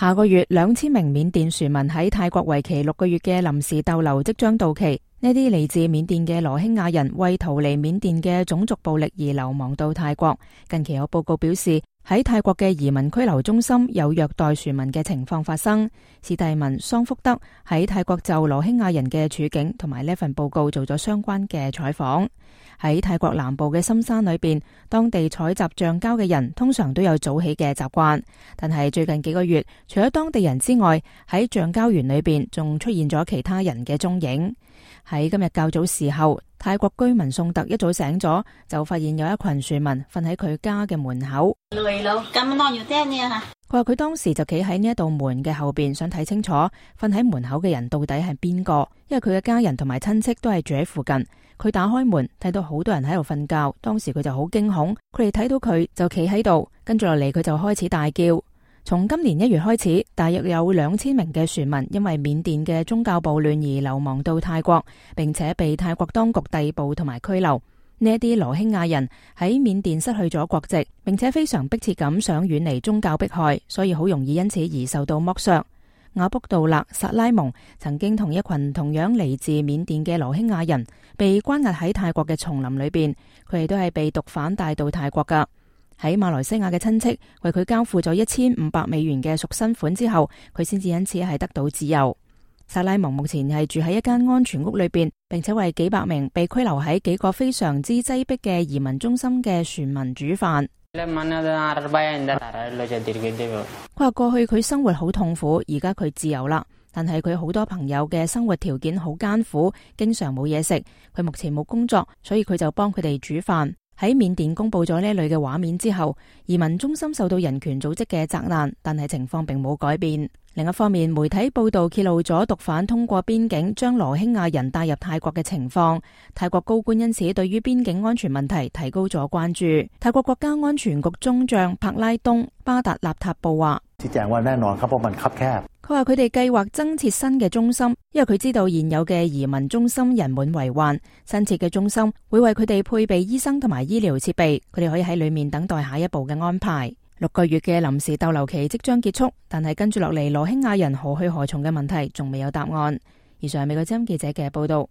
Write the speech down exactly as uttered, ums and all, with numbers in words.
下個月兩千名緬甸船民喺泰國為期六個月嘅臨時逗留即將到期。呢啲嚟自緬甸嘅羅興亞人為逃離緬甸嘅種族暴力而流亡到泰國。近期有報告表示，喺泰國嘅移民拘留中心有虐待船民嘅情況發生。史蒂文桑福德喺泰國就羅興亞人嘅處境同埋呢份報告做咗相關嘅採訪。喺泰國南部嘅深山裏邊，當地採集橡膠嘅人通常都有早起嘅習慣，但係最近幾個月，除咗當地人之外，喺橡膠園裏邊仲出現咗其他人嘅蹤影。喺今日較早時候，泰國居民宋特一早醒咗，就發現有一群船民瞓喺佢家嘅門口。佢話佢當時就企喺呢一道門嘅後邊，想睇清楚瞓喺門口嘅人到底係邊個，因為佢嘅家人同埋親戚都係住喺附近。佢打開門睇到好多人喺度瞓覺，當時佢就好驚恐，佢哋睇到佢就企喺度，跟住落嚟佢就開始大叫。從今年一月開始，大約有兩千名嘅船民因為緬甸嘅宗教暴亂而流亡到泰國，並且被泰國當局逮捕同埋拘留。呢一啲羅興亞人喺緬甸失去咗國籍，並且非常迫切咁想遠離宗教迫害，所以好容易因此而受到剝削。阿卜杜勒·薩拉蒙曾經同一群同樣嚟自緬甸嘅羅興亞人被關押喺泰國嘅叢林裏邊，佢哋都係被毒販帶到泰國噶。喺馬來西亞嘅親戚為佢交付咗一千五百美元嘅贖身款之後，佢先至因此係得到自由。薩拉蒙目前係住喺一間安全屋裏邊，並且為幾百名被拘留喺幾個非常之擠迫嘅移民中心嘅船民煮飯。佢話過去佢生活好痛苦，而家佢自由啦，但係佢好多朋友嘅生活條件好艱苦，經常冇嘢食。佢目前冇工作，所以佢就幫佢哋煮飯。喺緬甸公布咗呢類嘅畫面之後，移民中心受到人權組織嘅責難，但係情況並冇改變。另一方面，媒體報道揭露咗毒販通過邊境將羅興亞人帶入泰國嘅情況。泰國高官因此對於邊境安全問題提高咗關注。泰國國家安全局中將柏拉東·巴達納塔布話：佢話佢哋計劃增設新嘅中心，因為佢知道現有嘅移民中心人滿為患。新設嘅中心會為佢哋配備醫生同埋醫療設備，佢哋可以喺裏面等待下一步嘅安排。六個月嘅臨時逗留期即將結束，但係跟住落嚟羅興亞人何去何從嘅問題仲未有答案。以上係美國之音記者嘅報道。